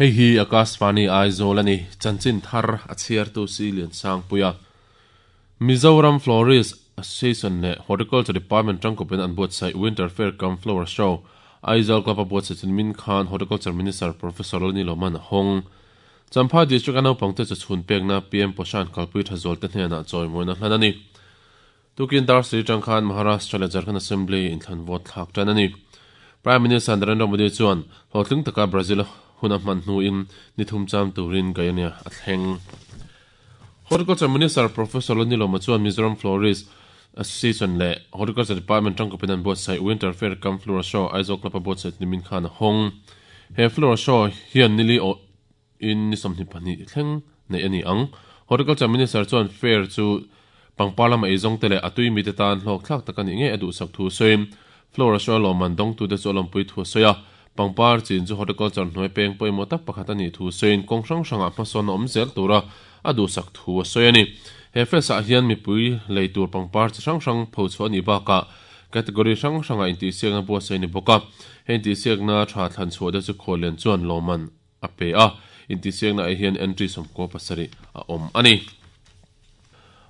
Hei hi Akashvani Aizawl a ni, chanchin thar a chhiartu si Liansangpuia. Mizoram Florist Association leh Horticulture Department tangkawpin an buatsaih Winter Fair cum Flower Show, Aizawl Club a buatsaih chu nimin khan Horticulture Minister Professor Lalniloman a hawng. Champhai District-a naupangte chu chhun pekna PM Poshan kalpui tha zualte hnenah chawimawina hlan a ni. Tukin dar siri tang khan Maharashtra leh Jharkhand Assembly inthlan vote thlak tan a ni. Prime Minister Narendra Modi chuan hlawhtling taka Brazil hun a hman hnuin ni thum cham turin Guyana a thleng. Horticulture Minister Professor Lalnilawma chuan Mizoram Florist Association leh Horticulture Department tangkawpin an buatsaih Winter Fair cum Floral Show Aizawl Club a buatsaih chu nimin khan a hawng. He Floral Show hian nili awh in ni 22 thleng neih a ni ang. Horticulture Minister chuan Fair chu pangpar lama eizawngte leh a tui mite tan hlawkthlak tak a nih ngei a duhsak thu sawiin Floral Show lawmman dawngtute chu a lawmpui thu a sawi a. Pangpar chin chu horticulture hnuai peng pawimawh tak pakhat a nih thu sawiin kawng hrang hrangah hmasawn a awm zel tura a duhsak thu a sawi a ni. He fest ah hian mipui lei tur pangpar chi hrang hrang pho chhuah a nih bakah category hrang hrangah intihsiakna buatsaih a ni bawk a. He intihsiakna tha thlan chhuah te chu khuallian chuan lawmman a pe a, intihsiakna ah hian entry 17 a awm a ni.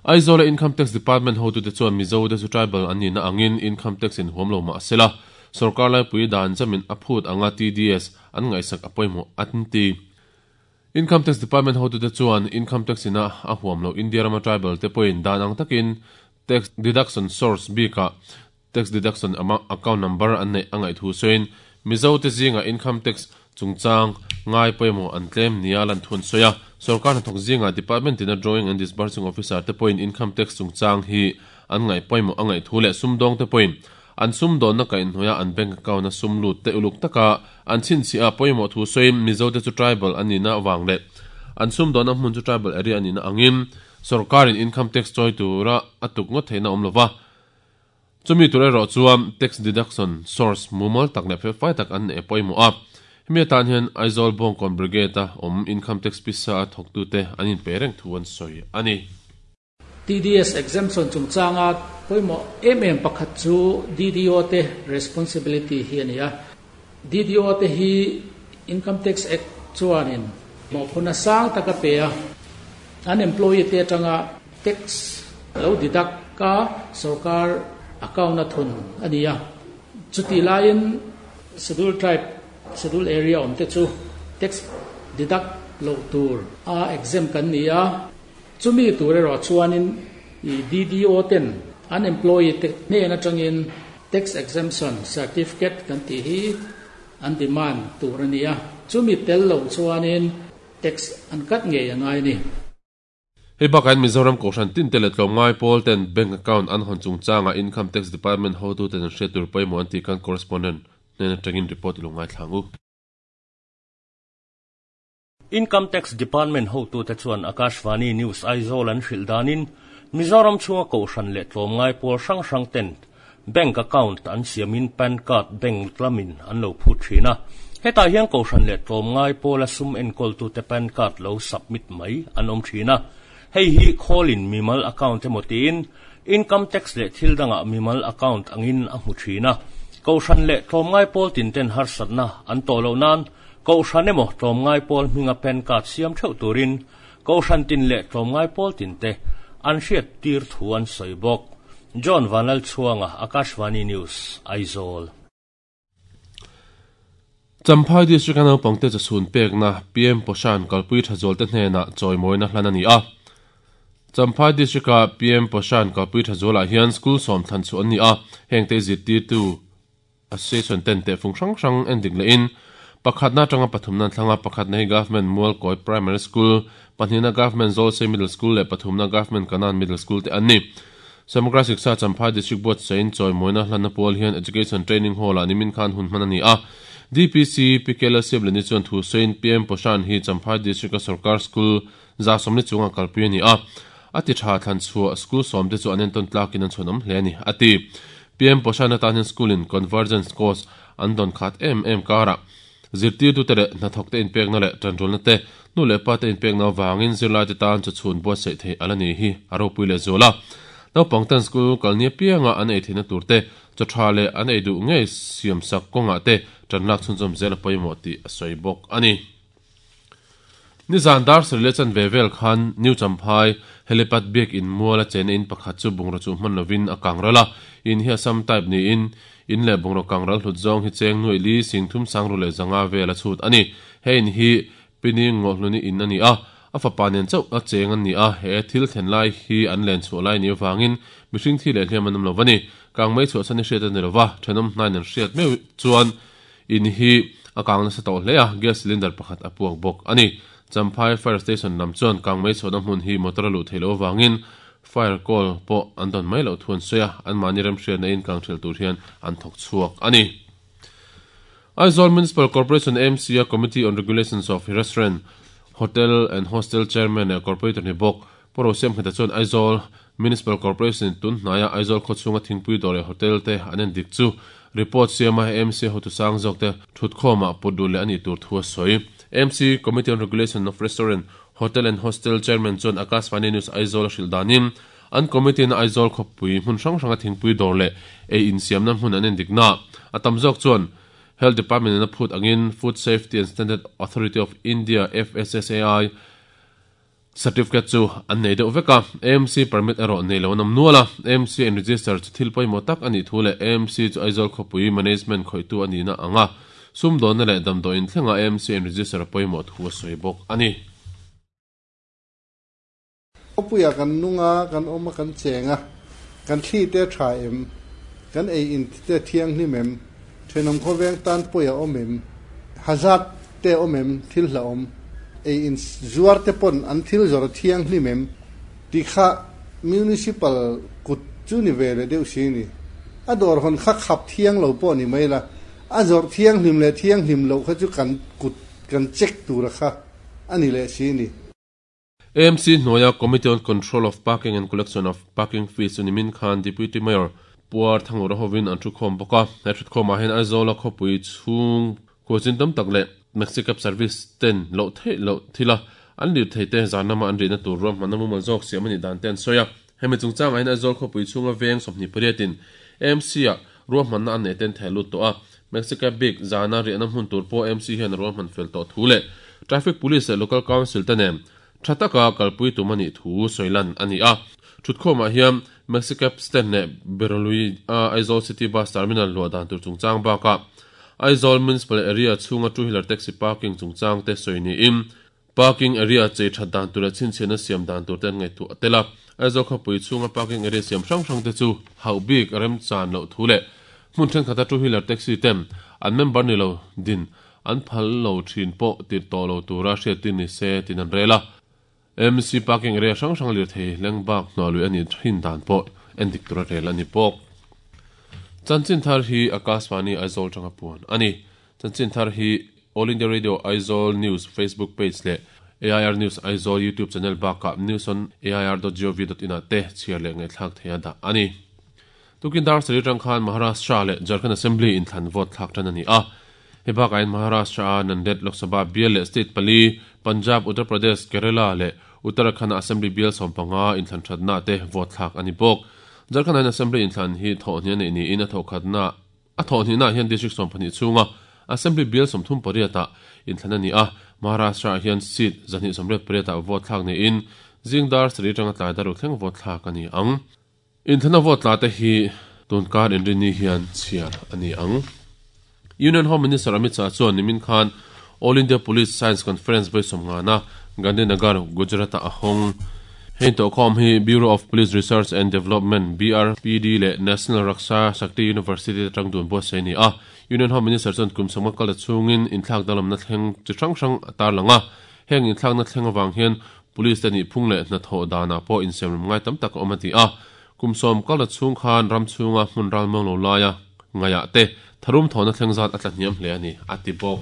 Aizawla Income Tax Department hotute chuan Mizote chu tribal an nihna angin income tax in huam lo mah sela, sorkar laipui dan jamin a phut anga TDS an ngaihsak a pawimawh an ti. Income Tax Department hotute chuan income tax ina a huam loh India rama tribal te pawhin dan ang takin tax deduction source bikah tax deduction account number an neih a ngaih thu sawiin Mizote zingah income tax chungchang ngai pawimawh an tlem nia lan thu an sawi a. Sorkar hnathawk zingah department tina drawing and disbursing officer te pawhin income tax chungchang hi an ngaih pawimawh a ngaih thu leh sumdawngte pawhin an sumdawnna kaihhnawih an bank account a sum lut te uluk taka an chhinchhiah a pawimawh thu sawiin Mizote chu tribal an nihna avang leh an sumdawnna hmun chu tribal area a nihna angin sorkarin income tax chawi tura a tuk ngawt theihna awm lova. Chumi tur erawh chuan tax deduction source mumal tak leh felfai tak an neih a pawimawh a. Hemi atan hian Aizawl Bawngkawn Brigade-a awm Income Tax pisa a thawktute an inpe reng thu an sawi a ni. TDS exemption chungchanga pawimawh em em pakhat chu DDO te responsibility hi a ni a. DDO te hi Income Tax Act chuanin mawhphurhna sang tak a pe a, an employee te atanga tax lo deduct ka sorkar account a thun a ni a. Chutih laiin Schedule Tribe, Schedule Area awm te chu tax deduct loh tur a exempt kan ni a. Chumi tur erawh chuanin DDO ten an employee te hnen atangin Tax Exemption Certificate kan tih hi an demand tur a ni a, chumi tel loh chuanin tax an cut ngei a ngai a ni. Hei bakah hian Mizoram Kohhran tinte leh tlawmngai pawl ten bank account an hawn chungchangah Income Tax Department hotuten an hriat tur pawimawh an tih khan Correspondent hnen atangin report i lo ngaithla ang u. Income Tax Department hotute chuan Akashvani News Aizawl an hrilh danin Mizoram chhunga kohhran leh tlawmngai pawl hrang hrang ten bank account an siamin pan card bank lamin an lo phut thin a. Hetah hian kohhran leh tlawmngai pawla sum enkawltute pan card lo submit mai an awm thin a. Hei hi khawlin mimal account emaw tiin Income Tax leh thil dangah mimal account angin a hmu thin a. Kohhran leh tlawmngai pawl tinten harsatna an tawh loh nan Kohhran emaw tlawmngai pawl hminga pan card siam theuh turin Kohhran tin leh tlawmngai pawl tinte an hriat tir thu an sawi bawk. John Vanlalchhuanga, Akashvani News, Aizawl. Champhai District-a naupangte chawchhun pekna PM Poshan kalpui tha zualte hnenah chawimawina hlan a ni a. Champhai District-a PM Poshan kalpui tha zualah hian school sawm thlan chhuah an ni a, hengte zirtirtu Association ten tehfung hrang hrang en dik lehin pakhatna atanga pathumna an thlang a, pakhatna hi Government Mualkawi Primary School, pahnihna Government Zawlsei Middle School leh pathumna Government Kanan Middle School te an ni. Samagra Shiksha Champhai District buatsain chawimawina hlanna pual hian Education Training Hall-ah nimin khan hun hman a ni a. DPC Pi Kela Siablani chuan thu sawiin PM Poshan hi Champhai District-a sorkar school 140 chunga kalpui a ni a, a ti tha thlan chhuah school sawmte chu an entawn tlakin an chhuanawm hle a ni, a ti. PM Poshan atan hian school in convergence course an dawn khat em em karah zirtirtute leh hnathawkte inpekna leh tanrualna te, nu leh pa te inpekna avangin zirlaite tan chu chhun buatsaih theih a la ni hi a ropui leh zual a. Naupang ten school kal ni apianga an ei theihna tur te, chaw tha leh an ei duh ngei siamsak kawngah te tan lak chhunzawm zel a pawimawh tih a sawi bawk a ni. Nizan dar sarih leh chanve vel khan New Champhai Helipad biak in muala chena in pakhat chu bungraw chuh hman lovin a kang ral a, in hi Assam type niin in leh bungraw kang ral hlut zawng hi cheng nuaih li sing thum sang ru leh zanga vel a chhut a ni. He in hi Pini Ngawhluni in a ni a, a fapa nen chauh a cheng an ni a, he thil thlen lai hi an len chhuah lai ni avangin mihring thi leh hliam an awm lo va ni. Kang mai chhuahsan hi hriat a ni lo va, thenawm hnaiin an hriat meuh chuan In hi a kang nasa tawh hle a, gas cylinder pakhat a puak bawk a ni. Champhai Fire Station lam chuan kang mei chhuahna hmun hi motor a luh theih loh avangin fire call pawh an dawn mai loh thu an sawi a, anmahni remhriatna in kang ṭhelh tur hian an thawk chhuak a ni. Aizawl Municipal Corporation AMC a Committee on Regulations of Restaurant, Hotel and Hostel Chairman leh Corporator ni bawk Pu Rosiamhmeta chuan Aizawl Municipal Corporation in tun hnaia Aizawl khawchhunga thingpui dawr leh hotel te an en dik chu report siama AMC hotu sang zawk te thutkhawmah put duh leh a nih tur thu a sawi. AMC Committee on Regulation of Restaurant, Hotel and Hostel Chairman chuan Akashvani News Aizawl a hrilh danin an committee in Aizawl khawpui hmun hrang hranga thingpui dawr leh ei insiamna hmun an en dikna a tam zawk chuan Health Department in a phut angin Food Safety and Standard Authority of India, FSSAI, Certificate chu an nei deuh vek a, AMC permit erawh nei lo an awm nual a. AMC in register chu thil pawimawh tak a nih thu leh AMC chu Aizawl khawpui management khawihtu a nihna ang a, sumdawnna leh damdawiin thlenga AMC in register a pawimawh thu a sawi bawk a ni. Khawpuiah kan nung a, kan awm a, kan cheng a, kan thli te a tha em? Kan ei in te a thianghlim em? Thenawm khawveng tan pawi a awm em? Hazard te a awm em? Thil hlauhawm ei in zuar te pawn an thil zawrh a thianghlim em? Tih kha Municipal kut chu ni ve leh deuh si ni. A dawr hawn kha khap thiang lo pawh ni mai la, a zawrh thianghlim leh thianghlim loh kha chu kan kut kan check tura kha a ni leh si ni. AMC hnuaia Committee on Control of Parking and Collection of Parking Fees chu nimin khan Deputy Mayor Puar Thangura hovin an thukhawm bawk a. He thutkhawmah hian Aizawla khawpui chhung khualchin tam tak leh Maxi Cab Service ten loh theih loh thila an lir thei te zan lama an rihna tur ruahmanna mumal zawk siam a nih dan te an sawi a. Hemi chungchangah hian Aizawl khawpui chhunga veng 28 in AMC-ah ruahmanna an neih te an theh lut tawh a. Maxi Cab bik zana riahna hmun tur pawh AMC hian a ruahman fel tawh thu leh Traffic Police leh Local Council te nen tha taka kalpui tum a nih thu sawi lan a ni a. Thutkhawmah hian Maxi Cab stand leh Berolui a Aizawl City Bus Terminal luah dan tur chungchang bakah Aizawl Municipal Area chhunga two wheeler taxi parking chungchang te sawi niin Parking area chei that dan tur leh chhinchhiahna siam dan tur te an ngaihtuah a tel a. Aizawl khawpui chhunga parking area siam hrang hrang te chu hauh bik remchan loh thu leh hmun thenkhat a two wheeler taxi ten an member ni lo din an phal lo thin pawh tirh tawh lo tura hriattir ni se tin an rel a. MC parking area hrang hrang lirthei leng bak hnuah lui a nih thin dan pawh endik tura rel a ni bawk. Chanchin thar hi Akashvani Aizawl tanga puan a ni. Chanchin thar hi All India Radio Aizawl News Facebook page leh AIR News Aizawl YouTube channel bakah news on air dot gov dot in ah te chhiar leh ngaihthlak theih a dah a ni. Tukin dar sarih atang khan Maharashtra leh Jharkhand Assembly inthlan vote thlak tan a ni a. Hei bakah hian Maharashtra a Nanded Lok Sabha bial leh state pali, Punjab, Uttar Pradesh, Kerala leh Uttarakhand a Assembly bial 15 inthlan thatna te vote thlak a ni bawk. Jharkhand ah hian Assembly inthlan hi thawhhnih a neih niin a thawhkhatna A thawhhnihnaah hian District 12 chhunga Assembly Bill 38 ah inthlan a ni a, Maharashtra ah hian seat 228 ah vote thlak niin zing dar sarih atanga tlai dar ruk thleng vote thlak a ni ang. Inthlana vote tla te hi tunkar inrinni hian chhiar a ni ang. Union Home Minister Amit Shah chuan nimin khan All India Police Science Conference vawi sawmngana Gandhinagar, Gujarat-ah a hawng. Hei intawhkhawm hi Bureau of Police Research and Development, BRPD, leh National Raksha Shakti University te tang dun buatsaih a ni a. Union Home Minister chuan kum sawmnga kal ta chhungin inthlak danglamna thleng chi hrang hrang a tarlang a. Heng inthlakna thleng avang hian Police te nihphung leh hnathawh danah pawh insiamrem ngai tam tak a awm a ti a. Kum sawm kal ta chhung khan ram chhunga hmun ralmuang lo laia ngaiah te tharum thawhna thleng zat a tla hniam hle a ni, a ti bawk.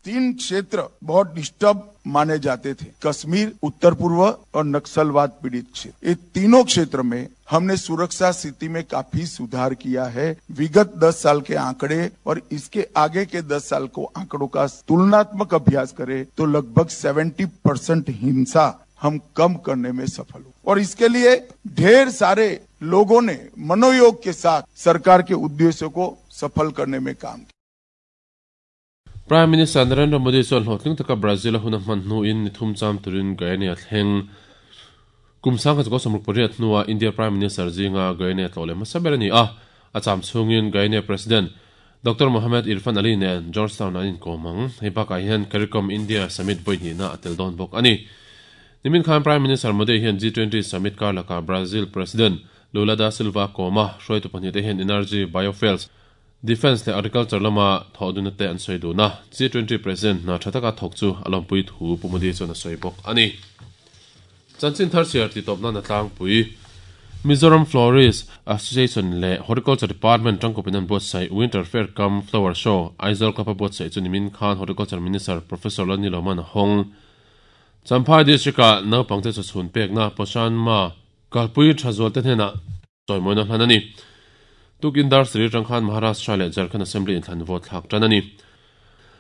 तीन क्षेत्र बहुत डिस्टर्ब माने जाते थे कश्मीर उत्तर पूर्व और नक्सलवाद पीड़ित क्षेत्र ये तीनों क्षेत्र में हमने सुरक्षा स्थिति में काफी सुधार किया है विगत 10 साल के आंकड़े और इसके आगे के 10 साल को आंकड़ों का तुलनात्मक अभ्यास करें तो लगभग 70 परसेंट हिंसा हम कम करने में सफल हुए और इसके लिए ढेर सारे लोगों ने मनोयोग के साथ सरकार के उद्देश्यों को सफल करने में काम किया। Prime Minister Narendra Modi chuan hlawhtling taka Brazil a hun a hman hnuin ni thum cham turin Guyana a thleng. Kum 1968 hnua India Prime Minister zinga Guyana tlawh leh hmasa ber a ni a, a cham chhungin Guyana President Doctor Mohamed Irfaan Ali nen Georgetown an inkawm ang. Hei bakah hian Caricom India Summit vawi hnihna a tel dawn bawk a ni. Nimin khan Prime Minister Modi hian G20 Summit kar lakah Brazil President Lula da Silva a kawm a, hruaitu pahnihte hian energy, biofuels, defence leh agriculture lama thawhdunna te an sawi dun a, G20 President hna tha taka thawk chu a lawmpui thu Pu Modi chuan a sawi bawk a ni. Chanchin thar chhiar titawp nan a tlangpui. Mizoram Florist Association leh Horticulture Department tangkawpin an buatsaih Winter Fair cum Flower Show Aizawl Club a buatsaih chu nimin khan Horticulture Minister Professor Lani Loman a hawng. Champhai District-ah naupangte chawchhun pekna Poshan Ma kalpui tha zualte hnenah chawimawina hlan a ni. Tukin dar sarih atang khan Maharashtra leh Jharkhand Assembly inthlan vote thlak tan a ni.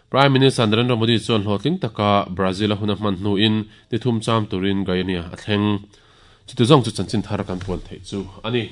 Prime Minister Narendra Modi chuan hlawhtling taka Brazil a hun a hman hnuin ni thum cham turin Guyana a thleng. Chuti zawng chu chanchin thar kan puan theih chu a ni.